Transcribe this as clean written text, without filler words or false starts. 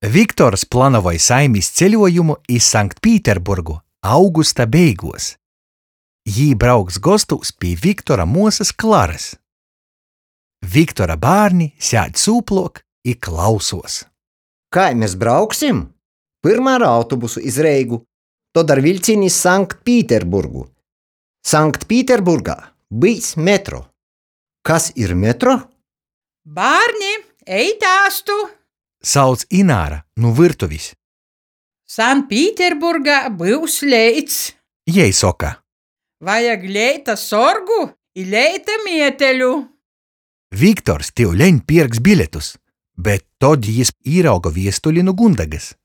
Viktors planavoj saimis ceļuojumu iz Sanktpīterburgu augusta beiguos. Jī brauks gostūs pi Viktora muosys Klarys. Viktora bārni sēd sūpluok i klausuos. Kai mes brauksim? Pyrma ar autobusu iz Reigu, tod ar viļcīni iz Sanktpīterburgu. Sanktpīterburgā byus metro. Kas ir metro? Bārni, ejit āstu! Sauc Ināra nu vyrtuvis. Sanktpīterburgā byus leits. Jei soka. Vajag leita sorgu i leita mieteļu. Viktors tiuleņ pierks biļetus, bet tod jis īrauga viestuli nu Gundegys.